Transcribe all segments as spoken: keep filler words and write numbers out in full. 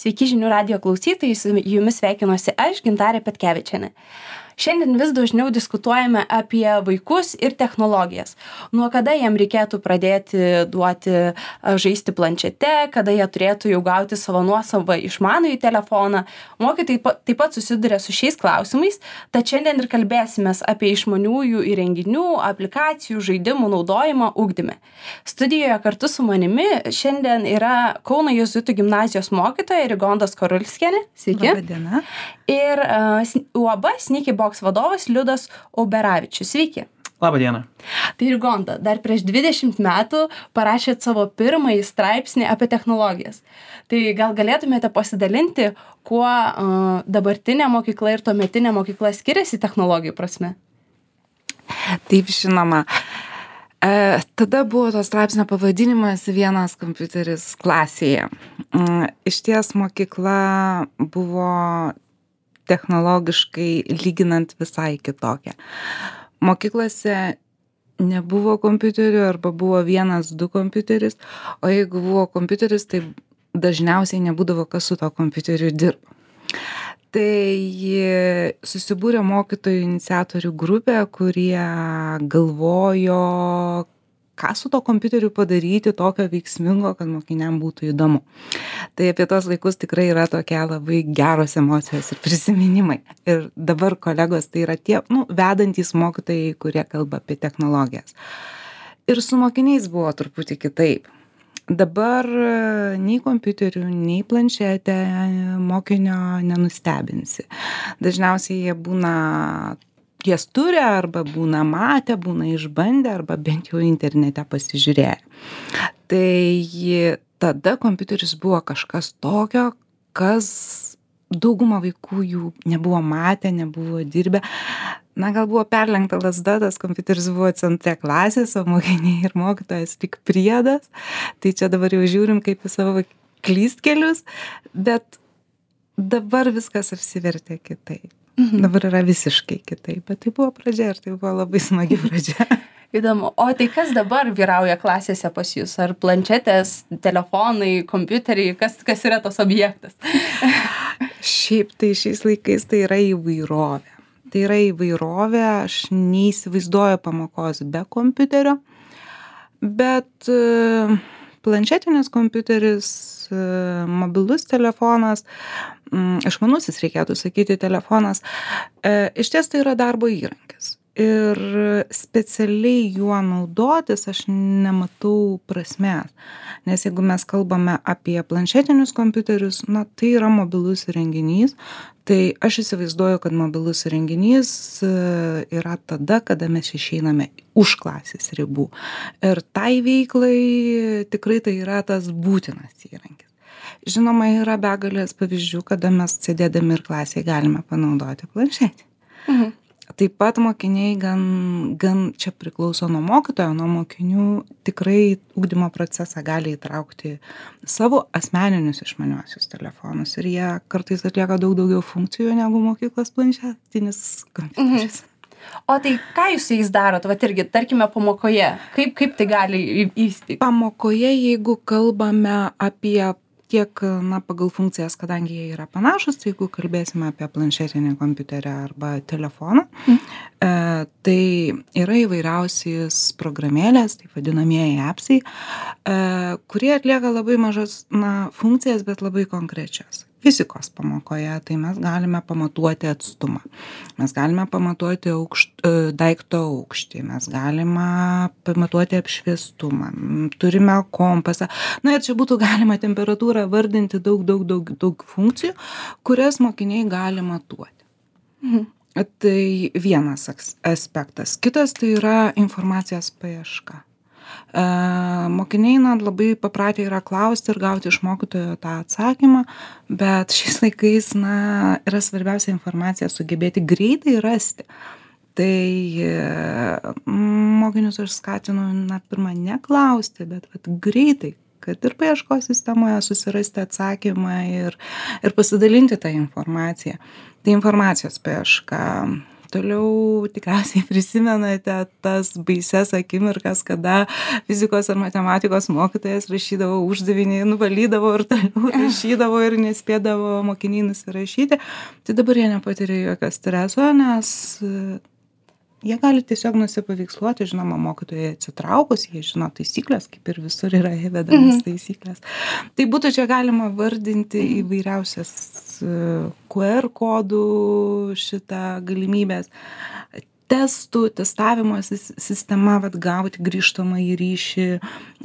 Sveiki žinių radijo klausytojai, su jumis sveikinuosi aš, Gintarė Petkevičienė. Šiandien vis dažniau diskutuojame apie vaikus ir technologijas. Nuo kada jiem reikėtų pradėti duoti žaisti planšete, kada jie turėtų jau gauti savo nuosavą išmanųjį telefoną. Mokytojai taip pat susiduria su šiais klausimais, tad šiandien ir kalbėsimės apie išmaniųjų įrenginių, aplikacijų, žaidimų naudojimą ugdyme. Studijoje kartu su manimi šiandien yra Kauno jėzuitų gimnazijos mokytoja Rigonda Skorulskienė. Sveiki. Labą dieną. Ir uh, U A B Sneaky Box vadovas Liudas Auberavičius. Sveiki. Labą dieną. Tai Rigonda, dar prieš dvidešimt metų parašėt savo pirmąjį straipsnį apie technologijas. Tai gal galėtumėte pasidalinti, kuo uh, dabartinė mokykla ir tuometinė mokykla skiriasi technologijų prasme? Taip, žinoma. E, tada buvo to straipsnio pavadinimas vienas kompiuteris klasėje. E, išties mokykla buvo technologiškai lyginant visai kitokia. Mokyklose nebuvo kompiuterių arba buvo vienas, du kompiuteris, o jeigu buvo kompiuteris, tai dažniausiai nebūdavo kas su to kompiuteriu dirba. Tai susibūrė mokytojų iniciatorių grupė, kurie galvojo, ką su to kompiuteriu padaryti tokio veiksmingo, kad mokiniam būtų įdomu. Tai apie tos laikus tikrai yra tokia labai geros emocijos ir prisiminimai. Ir dabar kolegos tai yra tie, nu, vedantys mokytojai, kurie kalba apie technologijas. Ir su mokiniais buvo truputį kitaip. Dabar nei kompiuterių, nei planšetę mokinio nenustebinsi. Dažniausiai jie būna, jas turi arba būna matę, būna išbandę arba bent jau internete pasižiūrėję. Tai tada kompiuteris buvo kažkas tokio, kas dauguma vaikų jų nebuvo matę, nebuvo dirbę. Na, gal buvo perlenkta lazda, tas kompiuteris buvo centre klasės, o mokiniai ir mokytojas tik priedas. Tai čia dabar jau žiūrim kaip į savo klystkelius, bet dabar viskas apsivertė kitaip. Mhm. Dabar yra visiškai kitaip, bet tai buvo pradžia ir tai buvo labai smagi pradžia. Įdomu. O tai kas dabar vyrauja klasėse pas jūs? Ar planšetės, telefonai, kompiuteriai? Kas, kas yra tas objektas? Šiaip tai šiais laikais tai yra įvairovė. Tai yra įvairovė, aš neįsivaizduoju pamokos be kompiuterio, bet planšetinis kompiuteris, mobilus telefonas, išmanusis reikėtų sakyti telefonas, iš ties tai yra darbo įrankis. Ir specialiai juo naudotis aš nematau prasmės, nes jeigu mes kalbame apie planšetinius kompiuterius, na, tai yra mobilus įrenginys, tai aš įsivaizduoju, kad mobilus įrenginys yra tada, kada mes išeiname už klasės ribų. Ir tai veiklai tikrai tai yra tas būtinas įrankis. Žinoma, yra begalės pavyzdžių, kada mes sėdėdami ir klasėje galime panaudoti planšetę. Mhm. Taip pat mokiniai gan, gan čia priklauso nuo mokytojo, nuo mokinių tikrai ugdymo procesą gali įtraukti savo asmeninius išmaniuosius telefonus ir jie kartais atlieka daug daugiau funkcijų negu mokyklos planšetinis kompiuteris. Mhm. O tai ką jūs su jais darot? Vat irgi, tarkime, pamokoje. Kaip, kaip tai gali įvykti? Pamokoje, jeigu kalbame apie tiek, na, pagal funkcijas, kadangi jie yra panašus, tai jeigu kalbėsime apie planšetinį kompiuterį arba telefoną, mm. e, tai yra įvairiausiais programėlės, tai vadinamieji appsai, e, kurie atlieka labai mažas, na, funkcijas, bet labai konkrečias. Fizikos pamokoje, tai mes galime pamatuoti atstumą, mes galime pamatuoti aukšt, daikto aukštį, mes galime pamatuoti apšviestumą, turime kompasą. Na ir čia būtų galima temperatūrą vardinti daug, daug, daug, daug funkcijų, kurias mokiniai gali matuoti. Mhm. Tai vienas aspektas. Kitas tai yra informacijos paieška. E, mokiniai na, labai papratę yra klausti ir gauti iš mokytojo tą atsakymą, bet šiais laikais na, yra svarbiausia informacija sugebėti greitai rasti. Tai e, mokinius aš skatinu, na, pirmą neklausti, bet vat, greitai, kad ir paieškos sistemoje susirasti atsakymą ir, ir pasidalinti tą informaciją. Tai informacijos paieška. Toliau tikriausiai prisimenate tas baises akimirkas, kada fizikos ar matematikos mokytojas rašydavo uždavinį, nuvalydavo ir toliau rašydavo ir nespėdavo mokiniai nusirašyti. Tai dabar jie nepatiria jokio streso, nes jie gali tiesiog nusipaveiksluoti, žinoma, mokytojai atsitraukus, jie žino taisyklės, kaip ir visur yra įvedamas mm-hmm. taisyklės. Tai būtų čia galima vardinti įvairiausias Q R kodų šitą galimybės. Testų, testavimo sistema, vat, gauti grįžtamą į ryšį,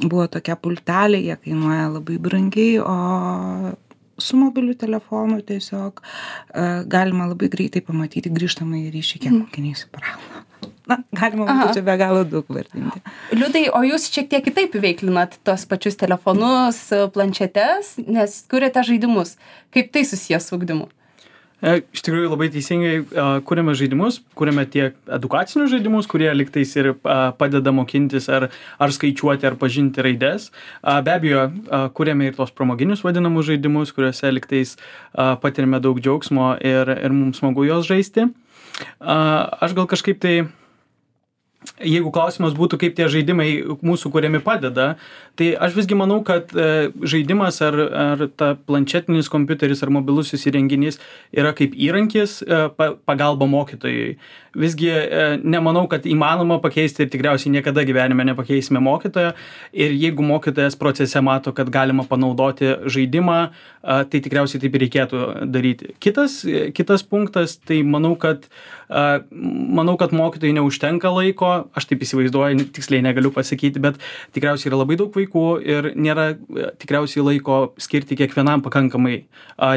buvo tokia pultelė, jie kainuoja labai brangiai, o su mobiliu telefonu tiesiog uh, galima labai greitai pamatyti grįžtamą į ryšį, kiek mokiniai suprauna. Na, galima būtų čia be galo daug vardinti. Liudai, o jūs šiek tiek kitaip veiklinat tos pačius telefonus, planšetes, nes kuriate žaidimus. Kaip tai susijęs su ugdymu? Iš tikrųjų labai teisingai kuriame žaidimus, kuriame tiek edukacinius žaidimus, kurie liktais ir padeda mokintis ar, ar skaičiuoti, ar pažinti raides. Be abejo, kuriame ir tos pramoginius vadinamus žaidimus, kuriuose liktais patirime daug džiaugsmo ir, ir mums smagu juos žaisti. Aš gal kažkaip tai, jeigu klausimas būtų, kaip tie žaidimai mūsų kuriami padeda, tai aš visgi manau, kad žaidimas ar, ar ta planšetinis kompiuteris ar mobilusis įrenginys yra kaip įrankis pagalba mokytojui. Visgi nemanau, kad įmanoma pakeisti ir tikriausiai niekada gyvenime nepakeisime mokytojo. Ir jeigu mokytojas procese mato, kad galima panaudoti žaidimą, tai tikriausiai taip ir reikėtų daryti. Kitas, kitas punktas, tai manau, kad, manau, kad mokytojai neužtenka laiko, aš taip įsivaizduoju, tiksliai negaliu pasakyti, bet tikriausiai yra labai daug vaikų ir nėra tikriausiai laiko skirti kiekvienam pakankamai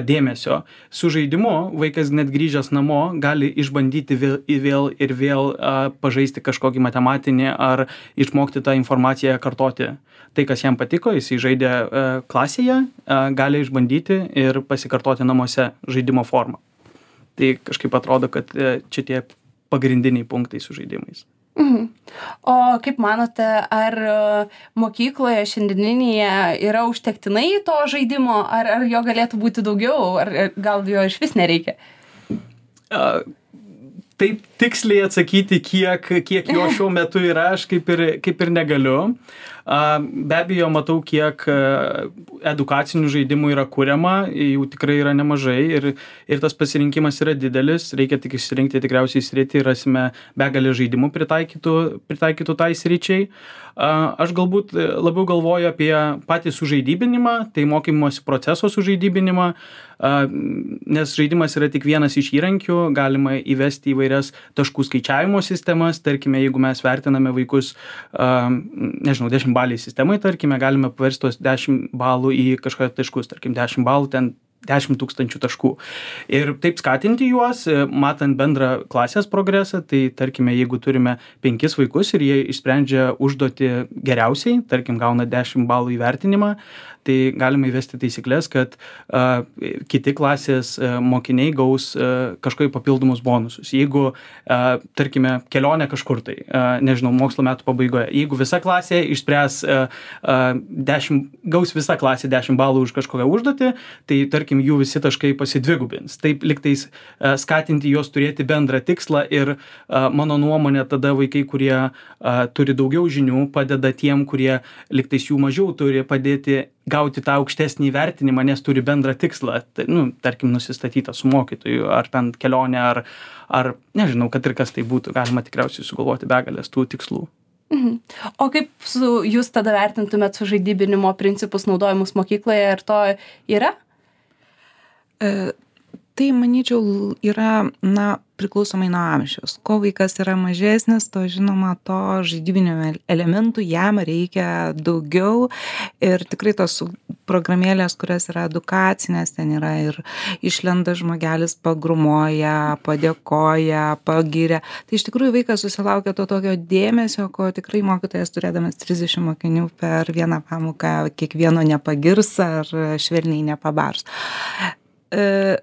dėmesio. Su žaidimu vaikas net grįžęs namo gali išbandyti vėl, vėl ir vėl pažaisti kažkokį matematinį ar išmokti tą informaciją kartoti. Tai, kas jam patiko, jis žaidė klasėje, gali išbandyti ir pasikartoti namuose žaidimo formą. Tai kažkaip atrodo, kad čia tie pagrindiniai punktai su žaidimais. Mhm. O kaip manote, ar mokykloje šiandieninėje yra užtektinai to žaidimo, ar, ar jo galėtų būti daugiau, ar gal jo iš vis nereikia? Uh, Taip tiksliai atsakyti, kiek, kiek jo šiuo metu yra, aš kaip ir, kaip ir negaliu. Be abejo, matau, kiek edukacinių žaidimų yra kuriama, jų tikrai yra nemažai ir, ir tas pasirinkimas yra didelis, reikia tik išsirinkti tikriausiai sritį ir rasime begalę žaidimų pritaikytų, pritaikytų tai sričiai. Aš galbūt labiau galvoju apie patį sužaidybinimą, tai mokymosi proceso sužaidybinimą, nes žaidimas yra tik vienas iš įrankių, galima įvesti įvairias taškų skaičiavimo sistemas, tarkime, jeigu mes vertiname vaikus, nežinau, dešimt baliai sistemai, tarkime, galime paversti tos dešimt balų į kažkokius taškus, tarkim, dešimt balų ten dešimt tūkstančių taškų. Ir taip skatinti juos, matant bendrą klasės progresą, tai tarkime, jeigu turime penkis vaikus ir jie išsprendžia užduotį geriausiai, tarkim, gauna dešimt balų įvertinimą, tai galime įvesti taisyklės, kad uh, kiti klasės uh, mokiniai gaus uh, kažkokį papildomus bonusus. Jeigu, uh, tarkime, kelionė kažkur tai, uh, nežinau, mokslo metų pabaigoje, jeigu visa klasė išspręs uh, uh, dešimt, gaus visa klasė dešimt balų už kažkokią užduotį, tai tarkim, jų visi taškai pasidvigubins. Taip liktais uh, skatinti juos turėti bendrą tikslą ir uh, mano nuomonė tada vaikai, kurie uh, turi daugiau žinių, padeda tiem, kurie liktais jų mažiau turi padėti gauti tą aukštesnį įvertinimą, nes turi bendrą tikslą, tai, nu, tarkim, nusistatytą su mokytoju, ar ten kelionė, ar, ar nežinau, kad ir kas tai būtų, galima tikriausiai sugalvoti begalės tų tikslų. Mhm. O kaip su, jūs tada vertintumėt su žaidybinimo principus naudojimus mokykloje, ar to yra? E, tai, manyčiau, yra, na, priklausomai nuo amžiaus. Ko vaikas yra mažesnis, to žinoma, to žaidybinio elementų jam reikia daugiau ir tikrai tos programėlės, kurios yra edukacinės, ten yra ir išlenda žmogelis, pagrumoja, padėkoja, pagiria. Tai iš tikrųjų vaikas susilaukia to tokio dėmesio, ko tikrai mokytojas turėdamas trisdešimt mokinių per vieną pamoką kiekvieno nepagirs ar švelniai nepabars. E,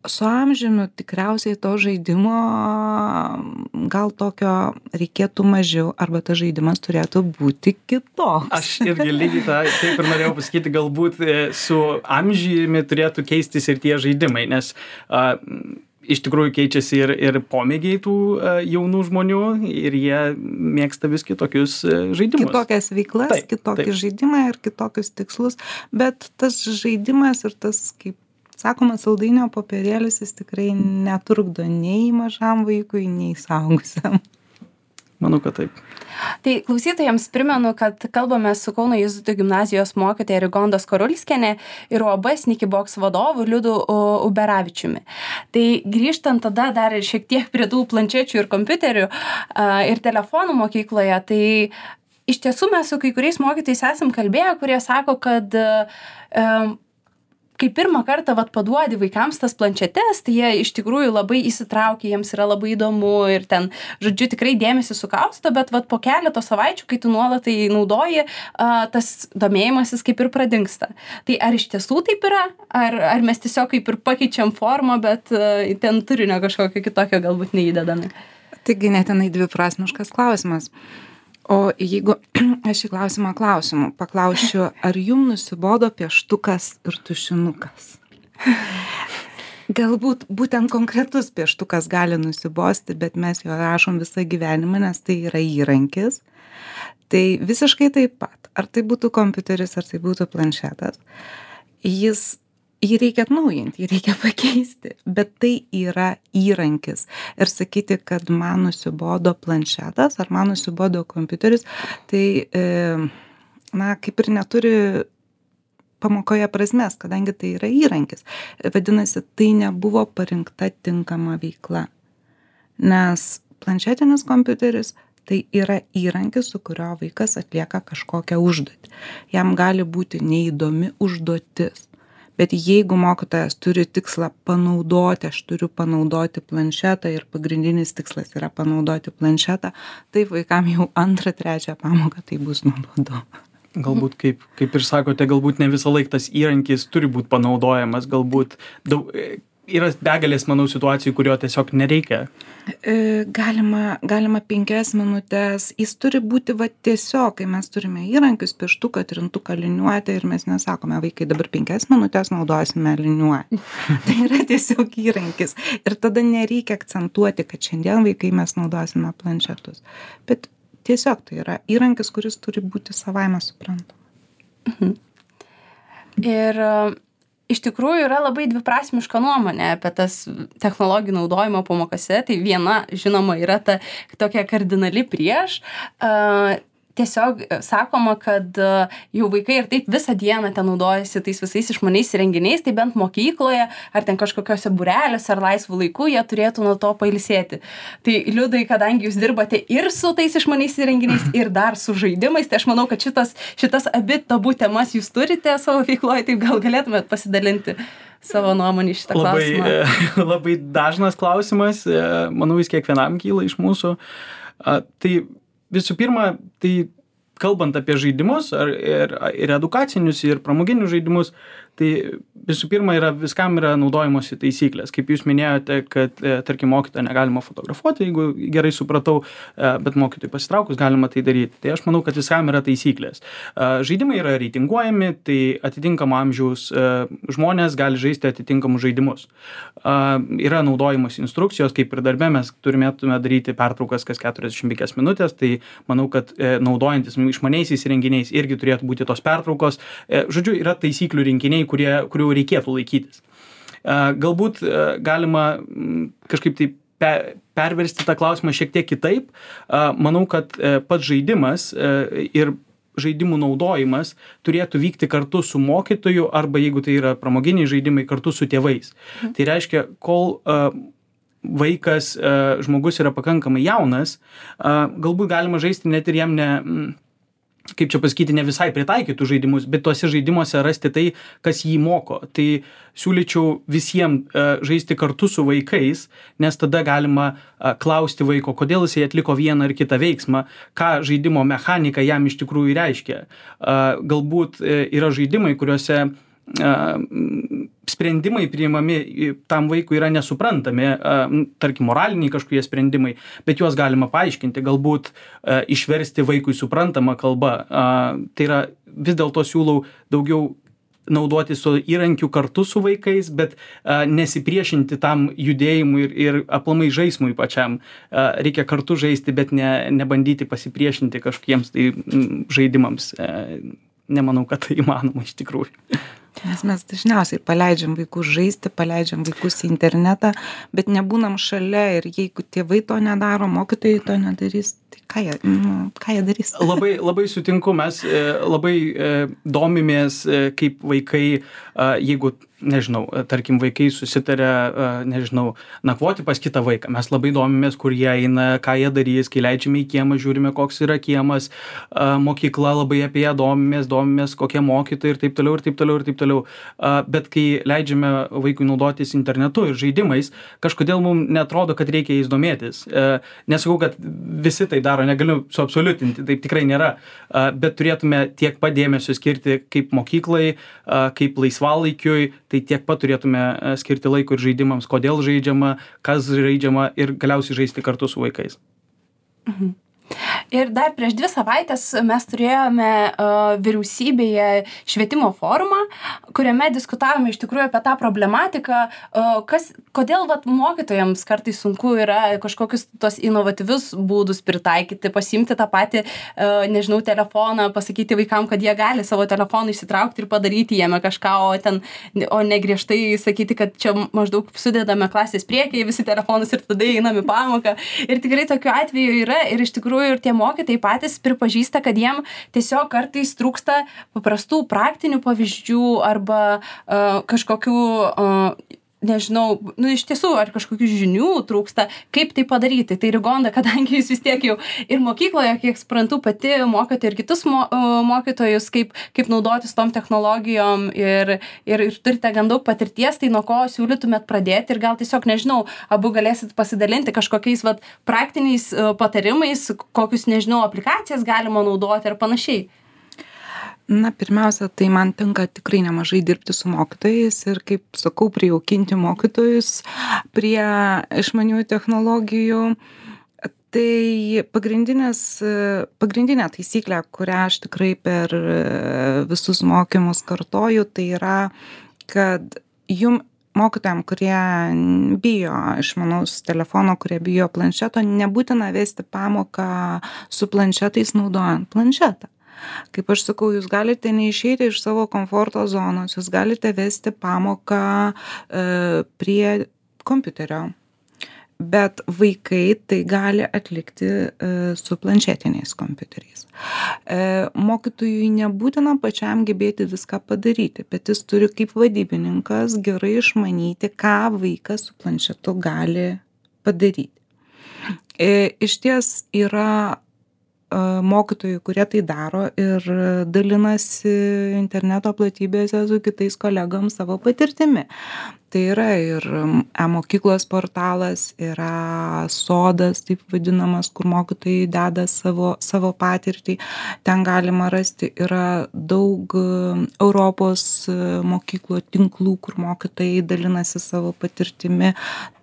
Su amžiumi tikriausiai to žaidimo gal tokio reikėtų mažiau, arba tas žaidimas turėtų būti kitoks. Aš irgi lygiai tą, taip ir norėjau pasakyti, galbūt su amžiumi turėtų keistis ir tie žaidimai, nes a, iš tikrųjų keičiasi ir, ir pomėgiai tų uh, jaunų žmonių ir jie mėgsta vis kitokius uh, žaidimus. Kitokias veiklas, taip, kitokį taip. žaidimą ir kitokius tikslus, bet tas žaidimas ir tas, kaip sakoma, saldainio popierėlis, jis tikrai netrukdo nei mažam vaikui, nei suaugusiam. Manau, kad taip. Tai klausytojams primenu, kad kalbame su Kauno Jėzuitų gimnazijos mokytoja Rigonda Skorulskienė ir U A B Sneaky Box vadovu Liudu Uberavičiumi. Tai grįžtant tada dar šiek tiek prie tų planšečių ir kompiuterių ir telefonų mokykloje, tai iš tiesų mes su kai kuriais mokytojais esam kalbėję, kurie sako, kad um, kai pirmą kartą vat, paduodi vaikams tas planšetes, tai jie iš tikrųjų labai įsitraukia, jiems yra labai įdomu ir ten, žodžiu, tikrai dėmesį sukausto, bet vat, po keleto savaičių, kai tu nuolat tai naudoji, a, tas domėjimasis kaip ir pradingsta. Tai ar iš tiesų taip yra? Ar, ar mes tiesiog kaip ir pakeičiam formą, bet a, ten turinio kažkokio kitokio galbūt neįdedame? Taigi netenai dviprasmiškas klausimas. O jeigu aš į klausimą klausimu paklausčiau, ar jum nusibodo pieštukas ir tušinukas? Galbūt būtent konkretus pieštukas gali nusibosti, bet mes jo rašom visą gyvenimą, nes tai yra įrankis. Tai visiškai taip pat, ar tai būtų kompiuteris, ar tai būtų planšetas, jis jį reikia atnaujinti, jį reikia pakeisti, bet tai yra įrankis. Ir sakyti, kad man nusibodo planšetas ar man nusibodo kompiuteris, tai, e, na, kaip ir neturi pamokoje prasmės, kadangi tai yra įrankis. Vadinasi, tai nebuvo parinkta tinkama veikla. Nes planšetinis kompiuteris tai yra įrankis, su kurio vaikas atlieka kažkokią užduotį. Jam gali būti neįdomi užduotis. Bet jeigu mokytojas turi tikslą panaudoti, aš turiu panaudoti planšetą ir pagrindinis tikslas yra panaudoti planšetą, tai vaikam jau antrą, trečią pamoką tai bus nuobodu. Galbūt, kaip, kaip ir sakote, galbūt ne visą laiką tas įrankis turi būti panaudojamas, galbūt daug, yra begalės, manau, situacijų, kurio tiesiog nereikia. Galima, galima penkias minutės, jis turi būti va tiesiog, kai mes turime įrankius, pieštuką, trintuką, liniuotę ir mes nesakome, vaikai dabar penkias minutės naudosime liniuotę. Tai yra tiesiog įrankis. Ir tada nereikia akcentuoti, kad šiandien vaikai mes naudosime planšetus. Bet tiesiog tai yra įrankis, kuris turi būti savaime suprantama. Mhm. Ir iš tikrųjų yra labai dviprasmiška nuomonė apie tas technologijų naudojimo pamokose. Tai viena, žinoma, yra ta tokia kardinali prieš. Uh, tiesiog sakoma, kad uh, jau vaikai ir taip visą dieną ten naudojasi tais visais išmaniais įrenginiais, tai bent mokykloje ar ten kažkokiose būreliuose ar laisvų laikų jie turėtų nuo to pailsėti. Tai Liudai, kadangi jūs dirbate ir su tais išmaniais įrenginiais ir dar su žaidimais, tai aš manau, kad šitas, šitas abi tabų temas jūs turite savo veikloje, tai gal galėtumėt pasidalinti savo nuomonį šitą labai, klausimą. Labai dažnas klausimas, manau, jis kiekvienam kyla iš mūsų. Tai visų pirma, tai kalbant apie žaidimus ar, ir, ir edukacinius, ir pramoginius žaidimus, tai visų pirma yra, viskam yra naudojimosi taisyklės. Kaip jūs minėjote, kad, tarkim, mokytoją negalima fotografuoti, jeigu gerai supratau, bet mokytojui pasitraukus galima tai daryti. Tai aš manau, kad viskam yra taisyklės. Žaidimai yra reitinguojami, tai atitinkamo amžiaus žmonės gali žaisti atitinkamus žaidimus. Yra naudojimosi instrukcijos, kaip ir darbe mes turėtume daryti pertraukas kas keturiasdešimt penkias minutės, tai manau, kad naudojantis išmaniaisiais įrenginiais irgi turėtų būti tos pertraukos. Žodžiu, yra taisyklių rinkiniai, kurie, kurių reikėtų laikytis. Galbūt galima kažkaip tai perversti tą klausimą šiek tiek kitaip. Manau, kad pats žaidimas ir žaidimų naudojimas turėtų vykti kartu su mokytoju arba, jeigu tai yra pramoginiai žaidimai, kartu su tėvais. Mhm. Tai reiškia, kol vaikas, žmogus yra pakankamai jaunas, galbūt galima žaisti net ir jam ne... kaip čia pasakyti, ne visai pritaikytų žaidimus, bet tuose žaidimuose rasti tai, kas jį moko. Tai siūlyčiau visiems uh, žaisti kartu su vaikais, nes tada galima uh, klausti vaiko, kodėl jisai atliko vieną ar kitą veiksmą, ką žaidimo mechanika jam iš tikrųjų reiškia. Uh, galbūt uh, yra žaidimai, kuriuose sprendimai priimami tam vaikui yra nesuprantami, tarkim, moraliniai kažkokie sprendimai, bet juos galima paaiškinti, galbūt išversti vaikui suprantamą kalbą. Tai yra, vis dėlto siūlau daugiau naudoti su įrankiu kartu su vaikais, bet a, nesipriešinti tam judėjimui ir, ir aplamai žaismui pačiam. A, reikia kartu žaisti, bet ne, nebandyti pasipriešinti kažkokiems tai m, žaidimams. A, nemanau, kad tai įmanoma iš tikrųjų. Nes mes dažniausiai paleidžiam vaikus žaisti, paleidžiam vaikus į internetą, bet nebūnam šalia ir jeigu tėvai to nedaro, mokytojai to nedarys, tai ką jie, nu, ką jie darys? Labai, labai sutinku, mes e, labai e, domimės, e, kaip vaikai, e, jeigu, nežinau, tarkim, vaikai susitarė, e, nežinau, nakvoti pas kitą vaiką. Mes labai domimės, kur jie eina, ką jie darys, kai leidžiame į kiemą, žiūrime, koks yra kiemas, e, mokykla, labai apie ją domimės, domimės, kokie mokytojai ir taip toliau, ir taip toliau, ir taip toliau. E, bet kai leidžiame vaikui naudotis internetu ir žaidimais, kažkodėl mums netrodo, kad reikia jais domėtis. E, nesakau, kad visi tai daro, negaliu suabsoliutinti, taip tikrai nėra, e, bet turėtume tiek pat dėmesio skirti kaip mokyklai, e, kaip laisvalaikiui, tai tiek pat turėtume skirti laiko ir žaidimams, kodėl žaidžiama, kas žaidžiama ir galiausiai žaisti kartu su vaikais. Mhm. Ir dar prieš dvi savaitės mes turėjome uh, vyriausybėje švietimo forumą, kuriame diskutavome iš tikrųjų apie tą problematiką, uh, kas, kodėl vat, mokytojams kartais sunku yra kažkokius tos inovatyvius būdus pritaikyti, pasiimti tą patį, uh, nežinau, telefoną, pasakyti vaikam, kad jie gali savo telefoną išsitraukti ir padaryti jame kažką, o, ten, o ne griežtai sakyti, kad čia maždaug sudedame klasės priekyje visi telefonus ir tada einam į pamoką. Ir tikrai tokiu atveju yra ir iš tikrųjų ir tie mokytojai patys pripažįsta, kad jiem tiesiog kartais trūksta paprastų praktinių pavyzdžių arba uh, kažkokių, uh, nežinau, nu iš tiesų, ar kažkokių žinių trūksta, kaip tai padaryti. Tai Rigonda, kadangi jūs vis tiek jau ir mokykloje, kiek suprantu, pati mokote ir kitus mo, uh, mokytojus, kaip, kaip naudotis tom technologijom ir, ir, ir turite gan daug patirties, tai nuo ko siūlytumėt pradėti ir gal tiesiog, nežinau, abu galėsit pasidalinti kažkokiais vat, praktiniais uh, patarimais, kokius, nežinau, aplikacijas galima naudoti ar panašiai. Na, pirmiausia, tai man tenka tikrai nemažai dirbti su mokytojais ir, kaip sakau, prijaukinti mokytojus prie išmaniųjų technologijų. Tai pagrindinė taisyklė, kurią aš tikrai per visus mokymus kartoju, tai yra, kad jum mokytojam, kurie bijo išmanaus telefono, kurie bijo planšeto, nebūtina vesti pamoką su planšetais naudojant planšetą. Kaip aš sakau, jūs galite neišeiti iš savo komforto zonos, jūs galite vesti pamoką e, prie kompiuterio, bet vaikai tai gali atlikti e, su planšetiniais kompiuteriais. E, mokytojui nebūtina pačiam gebėti viską padaryti, bet jis turi kaip vadybininkas gerai išmanyti, ką vaikas su planšetu gali padaryti. E, iš ties yra mokytojų, kurie tai daro ir dalinasi interneto platybėse su kitais kolegoms savo patirtimi. Tai yra ir e-mokyklos portalas, yra sodas, taip vadinamas, kur mokytojai deda savo, savo patirtį. Ten galima rasti, yra daug Europos mokyklų tinklų, kur mokytojai dalinasi savo patirtimi.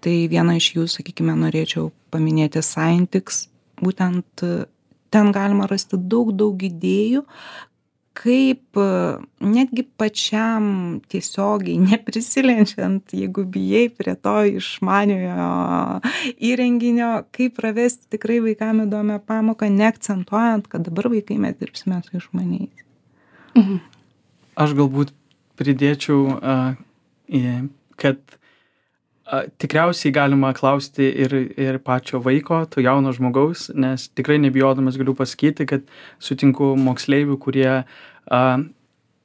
Tai vieną iš jų, sakykime, norėčiau paminėti Scientix, būtent ten galima rasti daug, daug idėjų, kaip netgi pačiam tiesiogiai neprisilenčiant, jeigu bijai prie to išmaniojo įrenginio, kaip pravesti tikrai vaikam įdomią pamoką, neakcentuojant, kad dabar vaikai mes dirbsime su išmaniais. Mhm. Aš galbūt pridėčiau, uh, kad tikriausiai galima klausti ir, ir pačio vaiko, to jauno žmogaus, nes tikrai nebijodamas galiu pasakyti, kad sutinku moksleivių, kurie a,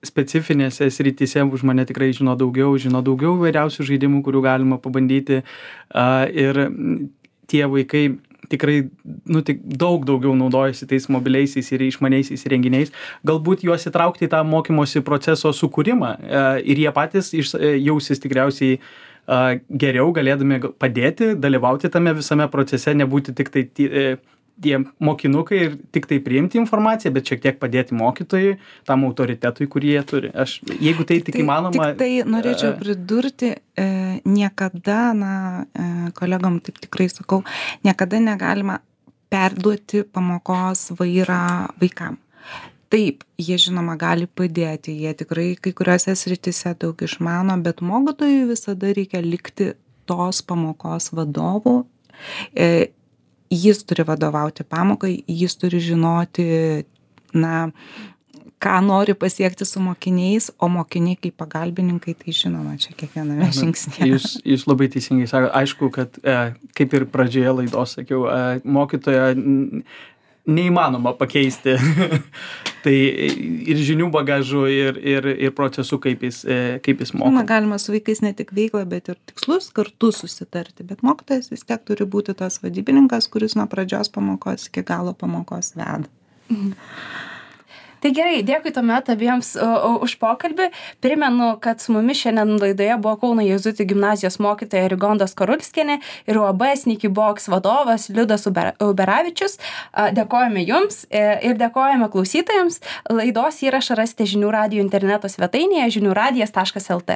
specifinėse srityse už mane tikrai žino daugiau, žino daugiau vairiausių žaidimų, kurių galima pabandyti a, ir tie vaikai tikrai nu, tik daug daugiau naudojasi tais mobiliaisiais ir išmaniaisiais renginiais. Galbūt juos įtraukti į tą mokymosi proceso sukūrimą a, ir jie patys iš, jausis tikriausiai geriau galėdami padėti, dalyvauti tame visame procese, nebūti tik tai tie mokinukai ir tik tai priimti informaciją, bet šiek tiek padėti mokytojui, tam autoritetui, kurį jie turi. Aš, jeigu tai tik įmanoma... Tik tai norėčiau pridurti, e, niekada, na, e, kolegom taip tikrai sakau, niekada negalima perduoti pamokos vairą vaikam. Taip, jie žinoma gali padėti, jie tikrai kai kuriuose srityse daug išmano, bet mokytojui visada reikia likti tos pamokos vadovu. E, jis turi vadovauti pamokai, jis turi žinoti, na, ką nori pasiekti su mokiniais, o mokiniai kaip pagalbininkai, tai žinoma, čia kiekviename žingsnėje. Jūs, jūs labai teisingai sakote, aišku, kad e, kaip ir pradžioje laidos sakiau, e, mokytoja neįmanoma pakeisti. Tai ir žinių bagažu, ir, ir, ir procesų, kaip jis, e, kaip jis moko. Na, galima su vaikais ne tik veiklą, bet ir tikslus kartu susitarti, bet mokytojas vis tiek turi būti tas vadybininkas, kuris nuo pradžios pamokos iki galo pamokos veda. Mhm. Tai gerai, dėkui tuomet abiems uh, už pokalbį. Primenu, kad su mumis šiandien laidoje buvo Kauno Jėzuitų gimnazijos mokytoja Rigonda Skarulskienė ir U A B Sneaky Box vadovas Liudas Uber, Uberavičius. Uh, dėkojame jums ir dėkojame klausytojams. Laidos įrašą rasite žinių radijo interneto svetainėje žinių radijas taškas el tė.